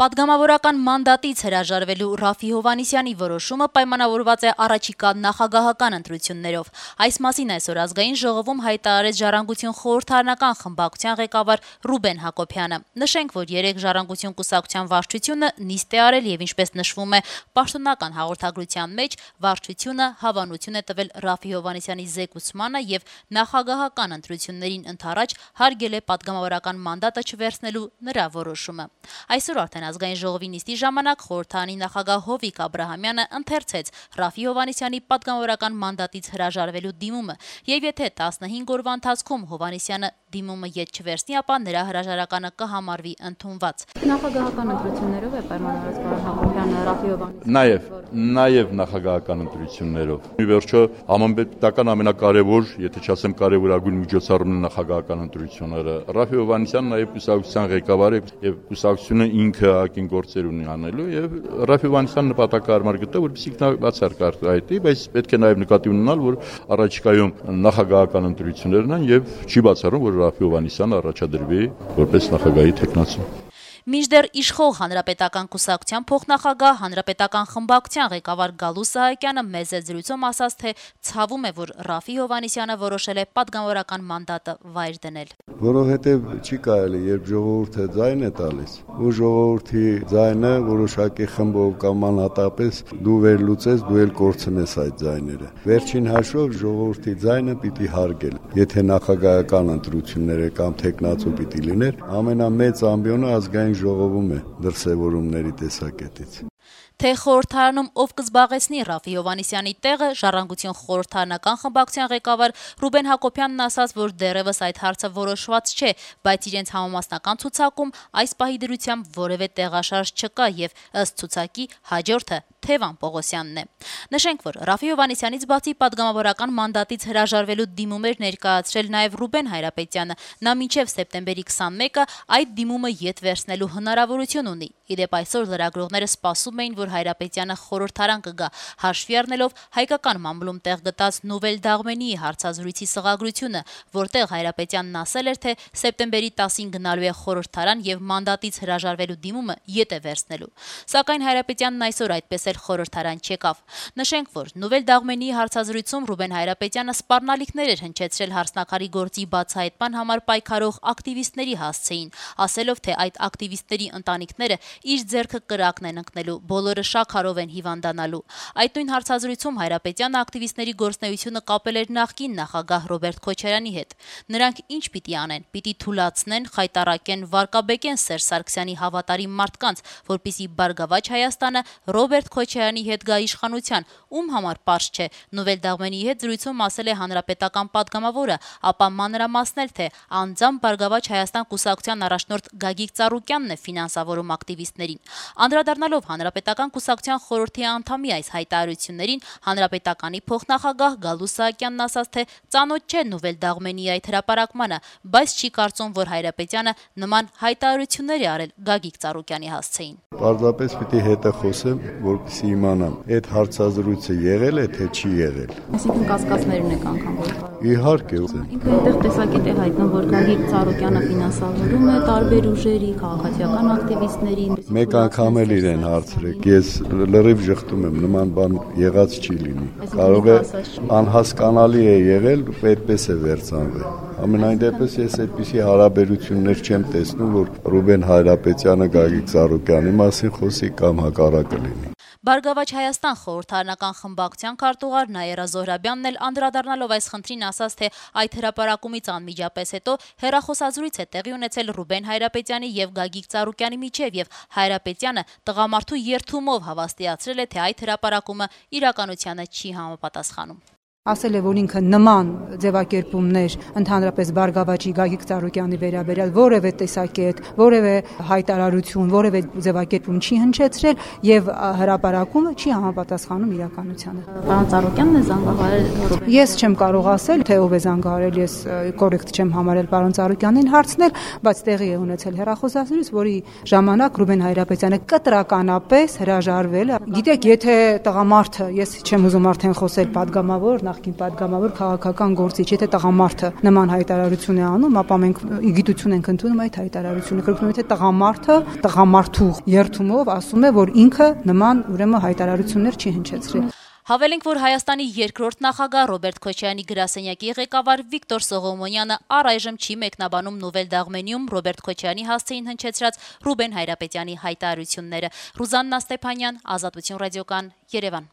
Պատգամավորական մանդատից հրաժարվելու Ռաֆի Հովհաննիսյանի որոշումը պայմանավորված է առաջիկա նախագահական ընտրություններով։ Այս մասին այսօր ազգային ժողովում հայտարարեց Ժառանգություն խորհրդարանական խմբակցության ղեկավար Ռուբեն Հակոբյանը։ Նշենք, որ երեկ Ժառանգություն կուսակցության վարչությունը նիստ է արել եւ ինչպես նշվում է պաշտոնական հաղորդագրության մեջ, վարչությունը հավանություն է տվել Ռաֆի Հովհաննիսյանի զեկուցմանը եւ նախագահական ընտրություններին ընդառաջ հարգել է պատգամավորական մանդատը չվերցնելու նրա որոշումը։ Այսօր արդեն ազգային ժողովի նիստի ժամանակ խորհրդարանի նախագահ Հովիկ Աբրահամյանը ընթերցեց Ռաֆի Հովհաննիսյանի պատգամավորական մանդատից հրաժարվելու դիմումը եւ եթե 15 օրվա ընթացքում Հովհաննիսյանը դիմումը ետ չվերցնի, ապա նրա հրաժարականը կհամարվի ընդունված։ Նախագահական ընտրություններով է պայմանավորված պարոն Հակոբյանը Ռաֆի Հովհաննիսյանը Նաև նախագահական ընտրություններով։ Ի վերջո համապետական ամենակարևոր, եթե չասեմ կարևորագույն միջոցառումն է նախագահական ընտրությունները։ Ռաֆի Հովհաննիսյանն նաև կուսակցության ղեկավար է եւ կուսակցությունը ինքը ակին գործեր ունի անելու եւ Ռաֆի Հովհաննիսյանը նպատակահարմար գտավ, որպեսզի նա բացառք այդի, բայց պետք է նաև նկատի ունենալ, որ առաջիկայում նախագահական ընտրություններն են եւ չի բացառում, որ Ռաֆի Հովհաննիսյանը առաջադրվի որպես նախագահի թեկնածու։ Մինչդեռ իշխող հանրապետական կուսակցության փոխնախագահ հանրապետական խմբակցության ղեկավար Գալու Սահակյանը մեծ զրույցում ասաց, թե ցավում է, որ Ռաֆի Հովհաննիսյանը որոշել է պատգամավորական մանդատը վայր դնել։ Որովհետև չի կարելի, երբ ժողովուրդը ձայն է տալիս, ու ժողովրդի ձայնը որոշակի խմբով կամ անհատապես դու վերլուծես, դու էլ կորցնես այդ ձայները։ Վերջին հաշվով ժողովրդի ձայնը պիտի հարգել։ Եթե նախագահական ընտրությունները կամ թեկնածու պիտի լիներ, ամենամեծ ամբիոնը ազգային ժողովում է դրսևորումների տեսակետից։ Թե խորհրդարանում ով կզբաղեցնի Ռաֆի Հովհաննիսյանի տեղը, Ժառանգություն խորհրդարանական խմբակցության ղեկավար Ռուբեն Հակոբյանն ասաց, որ դեռևս այդ հարցը որոշված չէ, բայց իրենց համամասնական ցուցակում այս պահի դրությամբ որևէ տեղաշարժ չկա եւ ըստ ցուցակի հաջորդը Թևան Պողոսյանն է։ Նշենք, որ Ռաֆի Հովհաննիսյանից բացի պատգամավորական մանդատից հրաժարվելու դիմումներ ներկայացրել նաև Ռուբեն Հայրապետյանը։ Նա մինչև սեպտեմբերի 21-ը այդ դիմումը ետ վերցնելու հնարավորություն ունի։ Իդեպ այսօր լրագրողները սպասում էին, որ Հայրապետյանը խորհրդարան կգա, հաշվի առնելով հայկական մամուլում տեղ գտած Նովել Դաղմենիի հարցազրույցի սղագրությունը, որտեղ Հայրապետյանն ասել էր, թե սեպտեմբերի 10-ին գնալու է խորհրդարան եւ մանդատից հրաժարվելու դիմումը ետ է վերցնելու։ Սակայն Հայրապետյանն այսօր այդպես խորհրդարան չեկավ։ Նշենք, որ Նովել Դաղմենիի հարցազրույցում Ռուբեն Հայրապետյանը սպառնալիքներ էր հնչեցրել հարսնակարի գործի բացահայտման համար պայքարող ակտիվիստների հասցեին, ասելով, թե այդ ակտիվիստների ընտանիքները իր ձեռքը կրակն են ընկնելու, բոլորը շաքարով են հիվանդանալու։ Այդ նույն հարցազրույցում Հայրապետյանը ակտիվիստների գործունեությունը կապել էր նախկին նախագահ Ռոբերտ Քոչարյանի հետ։ Նրանք ինչ պիտի անեն, պիտի թուլացնեն, խայտառակեն, վարկաբեկեն Սերժ Սարգսյանի հավատարիմ մարդկանց, որպեսզի Բարգավաճ Հայաստանը Ռոբերտ Քոչարյանի հետ գա իշխանության, ում համար պարզ չէ։ Նովել Դաղմենիի հետ զրույցում ասել է հանրապետական պատգամավորը, ապա մանրամասնել, թե անձամբ Բարգավաճ Հայաստան կուսակցության առաջնորդ Գագիկ Ծառուկյանն է ֆինանսավորում ակտիվիստներին։ Անդրադառնալով հանրապետական կուսակցության խորհրդի անդամի այս հայտարարություններին, հանրապետականի փոխնախագահ Գալու Սահակյանն ասաց, թե ծանոթ չէ Նովել Դաղմենիի այդ հրապարակմանը, բայց չի կարծում, որ Հայրապետյանը նման հայտարարություններ է արել Գագիկ Ծառուկյանի հասցեին։ Պարզապես պիտի հետը խոսեմ, որպեսզի իմանամ, այդ հարցազրույցը եղել է, թե չի եղել։ Այսինքն կասկածներ ունեք անգամ որ։ Իհարկե։ Ինքը այնտեղ տեսակետ է հայտնում, որ Գագիկ Ծառուկյանը ֆինանսավորում է տարբեր ուժերի, քաղաքացիական ակտիվիստների։ Մեկ անգամ էլ իրեն հարցրեք, ես լրիվ ժխտում եմ, նման բան եղած չի լինի։ Կարող է անհասկանալի է եղել, այդպես է վերցանվել։ Ամենայն դեպս ես այդպիսի հարաբերություններ չեմ տեսնում, որ Ռուբեն Հայրապետյանը Գագիկ Ծառուկյանի մասին խոսի կամ հակառակը լինի։ Բարգավաճ Հայաստան խորհրդարանական խմբակցության քարտուղար Նաիրա Զոհրաբյանն էլ անդրադառնալով այս խնդրին ասաց, թե այդ հրապարակումից անմիջապես հետո հեռախոսազրույց է տեղի ունեցել Ռուբեն Հայրապետյանի եւ Գագիկ Ծառուկյանի միջեւ եւ Հայրապետյանը տղամարդու երթումով հավաստիացրել է, թե այդ հրապարակումը իրականությանը չի համապատասխանում։ Ասել է, որ ինքը նման ձևակերպումներ ընդհանրապես Բարգավաճի Գագիկ Ծառուկյանի վերաբերյալ որևէ տեսակետ, որևէ հայտարարություն, որևէ ձևակերպում չի հնչեցրել եւ հրապարակումը չի համապատասխանում իրականությանը։ Պարոն Ծառուկյանն է զանգահարել։ Ես չեմ կարող ասել, թե ով է զանգահարել, ես կորեկտ չեմ համարել պարոն Ծառուկյանին հարցնել, բայց տեղի է ունեցել հեռախոսազրույց, որի ժամանակ Ռուբեն Հայրապետյանը կտրականապես հրաժարվել է։ Գիտեք, եթե տղամարդը, ես չեմ ուզում արդեն խոսել պատգամավոր նախկին падգամավոր քաղաքական գործիչ, եթե տղամարդը նման հայտարարություն է անում, ապա մենք գիտություն ենք ընդունում այդ հայտարարությունը, կրկնում եթե տղամարդը տղամարդու երթումով ասում է, որ ինքը նման ուրեմն հայտարարություններ չի հնչեցրել։ Հավելենք, որ Հայաստանի երկրորդ նախագահ Ռոբերտ Քոչարյանի գրասենյակի ղեկավար Վիկտոր Սողոմոնյանը առայժմ չի մեկնաբանում Նովել Դաղմենիում Ռոբերտ Քոչարյանի հասցեին հնչեցրած Ռուբեն Հայրապետյանի հայտարարությունները։ Ռուզաննա Ստեփանյան, Ազատություն ռադիոկան, Երևան։